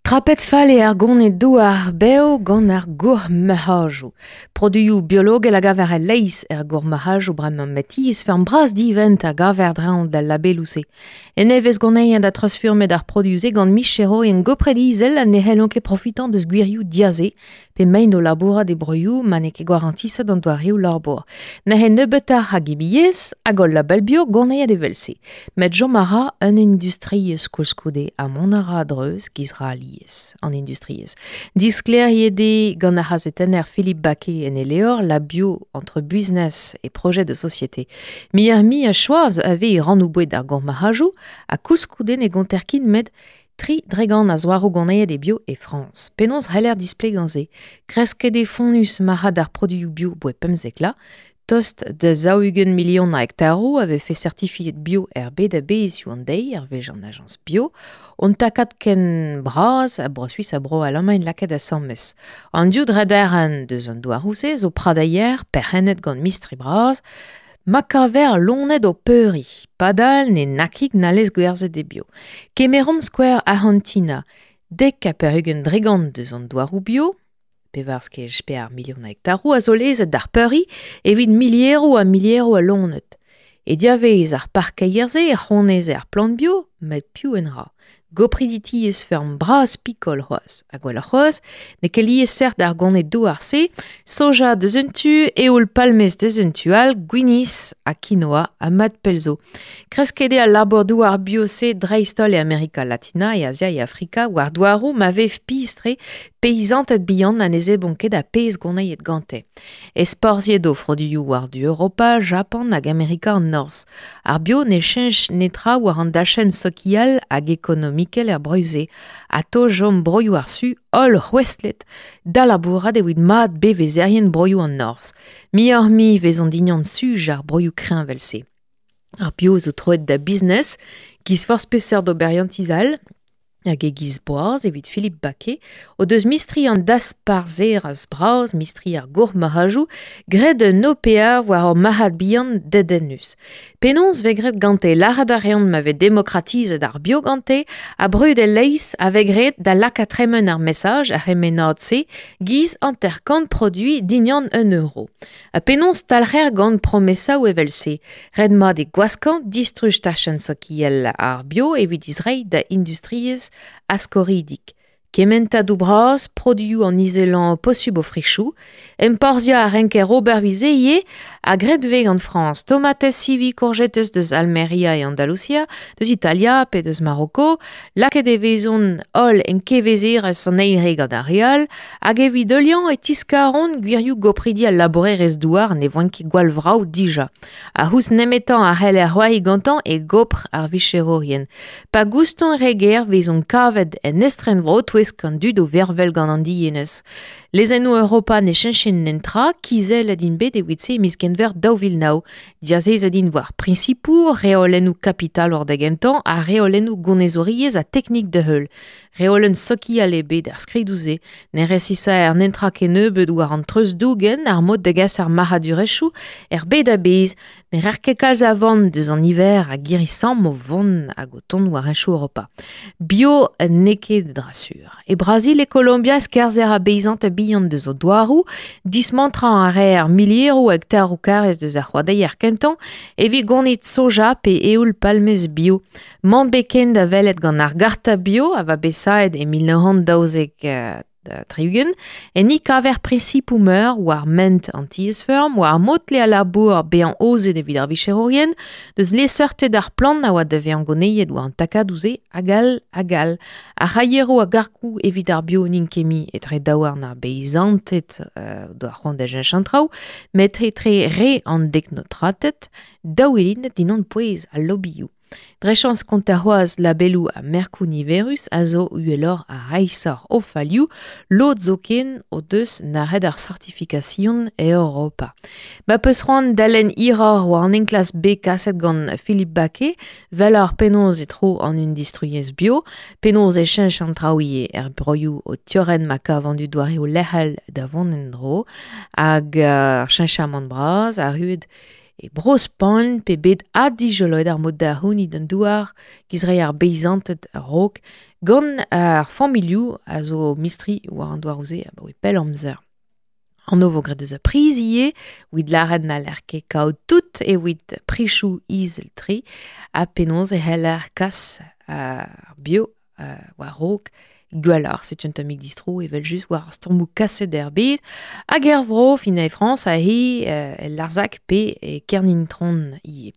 Trapet fall eo ar gonid-douar bev gant ar gourmarc'hajoù. Produioù biologel a gaver e-leizh er gourmarc'hajoù bremañ met tiez-feurm bras-divent a gaver dreñv d'al labeloù-se. En nevez gonezet ha treuzfurmet ar produioù-se gant micherourien gopret izel ha ne c'hellont ket profitañ deus gwirioù diaze pe maint o labourat e broioù ma n'eo ket gwarantiset an doareoù labour. Neuze nebeutoc'h a gimiezh hag ul label bio gonezet evel-se. Met chom a ra un industriezh koulskoude ha mont a ra a-dreuz giz ra alies an industriezh. Disklêriet eo gant ar c'hazetenner Philippe Baquet en e levr La bio entre business et projet de société. Muioc'h-mui a choaz a vez e rannoù-boued ar gourmarc'hajoù ha koulskoude ne gonter ket met 3% a zouaroù gonezet e bio e Frañs. Penaos c'heller displegañ se? Kresket eo fonnus marc'had ar produioù bio boe 15 vloaz. Tost da 40 milion a hektaroù a vefe certifiet bio er bed a-bezh hiziv an deiz, hervez an ajañs bio. Un takad ken bras a Bro-Suis ha Bro-Alamagn lakaet asambles. An div drederenn deus an douaroù-se zo pradeier perc'hennet gant mistri bras, Ma kaver loened o peuriñ, padal ne nakig n'hallez gwerzhet e bio. Kemeromp skouer Arc'hantina, 90% deus an douaroù bio, pevarzek pevar milion a hektaroù a zo lezet d'ar peuriñ evit milieroù ha milieroù a loened. E diavaez ar parkeier-se e c'honeze ar plant bio, met piv en ra? Gopridi tiez-feurm bras-pikol c'hoazh. Ha gwelloc'h c'hoazh, n'eo ket liesseurt ar gonid-douar-se, soja deus un tu, eoul-palmez deus un tu all, gwinizh ha quinoa ha mat pell zo. Kresket eo al labour-douar bio-se dreist-holl e Amerika Latina, e Azia, e Afrika, war douaroù ma vev pizh-tre peizanted bihan ha ne zebront ket ar pezh gonezet gante. Ezporzhiet o froduioù war-du Europa, Japan hag Amerika an Norzh. Ar bio ne cheñch netra war an dachenn sokial hag ekonomikel er broioù-se. Atao chom broioù ar Su holl c'houestlet da labourat evit mat bevezerien broioù an Norzh. Muioc'h-mui 'vezont dignan suj ar broioù kreñv evel-se. Ar bio zo troet da business, giz forzh peseurt oberiantiz all. Hag e-giz boaz evit Philippe Baquet o deus mistri an dasparzherezh bras, mistri ar gourmarc'hajoù, graet un OPA war ur marc'had bihan dedennus. Penaos 'vez graet gante? Lâret a reont ma vez demokratizet ar bio gante ha brud e-leizh a vez graet da lakaat tremen ar mesaj ar c'hemennad-se giz 50 produiñ dindan un euro. Ha penaos talc'her gant promesaoù evel-se? Ret-mat eo gwaskañ distruj tachenn sokial ar bio evit he zreiñ da industriezh askoridik. Kementadoù bras, produioù an izelañ posubl o frichoù, enporzhiañ a renker ober evit se ivez ha graet 'vez gant Frañs. Tomatez, sivi, kourjetez deus Almeria e Andalousia, deus Italia pe deus Maroko. Lakaet e vezont holl en kevezerezh an eil re gant ar re all hag evit heuliañ e tiskaront gwirioù gopridi al labourerezh-douar ne voent ket gwall vrav dija. Ar c'houst nemetañ a c'heller c'hoari gantañ e gopr ar vicherourien. Pa goustont re ger 'vezont kavet en estrenvro 'touesk an dud o vervel gant an dienez. Lezennoù Europa ne cheñchint netra, kizellet int bet evit-se e miz Genver 2009. Diazezet int war priñsipoù, reolennoù kapitalour da gentañ ha reolennoù gonezouriezh ha teknik da heul. Reolenn sokial ebet er skridoù-se. Ne resisaer netra kennebeut war an treuzdougen, ar mod da gas ar marc'hadurezhioù er bed a-bezh. Ne reer ket kalz a van deus an niver a girri-samm o vont hag o tont war henchoù Europa. Bio n'eo ket dra sur. E Brazil e Kolombia skerzher a beizant bihan deus o douaroù, dismantrañ a reer milieroù hektaroù karrez deus ar c'hoadeier kentañ evit gonit soja pe eoul palmez bio. Mann bet ken da welet gant ar garta bio a oa bet savet e 1972, enni kaver priñsipoù meur war ment an tiez-feurm, war mod-tle al labour bezañ aozet evit ar vicherourien, deus liesseurted ar plant a oa da vezañ gonezet war an takadoù-se hag all hag all. Ar c'haieroù a gargoù evit ar bio n'int ket mui etre daouarn ar beizanted o doa c'hoant da cheñch an traoù, met etre re an deknotrated, daouelinet dindan pouez al lobioù. Dre chañs kontañ c'hoazh labeloù ha merkoù niverus a zo uheloc'h ha reishoc'h o falioù, lod zoken o deus nac'het ar sartifikasion e Europa. Ma 'peus c'hoant da lenn hiroc'h war an enklask bet kaset gant Philippe Baquet, welloc'h penaos e tro an industriezh bio, penaos e cheñch an traoù ivez er broioù o tiorren ma kav an dud doareoù lec'hel da vont en-dro, hag ar cheñchamant bras arruet. E Bro-Spagn pe bet addijoloet ar mod da c'hounit an douar giz re ar beizanted a-raok gant ar familhoù a zo mistri war an douaroù-se abaoe pell amzer. An vo graet eus ar priz ivez, evit lâret n'haller ket kaout tout evit prichoù izel-tre ha penaos e c'heller kas ar bio war-raok gwelloc'h. Setu un tammig distro evel-just war ar stourmoù kaset er bed hag er vro fin e Frañs ha he el Larzac pe e Kernintron ivez.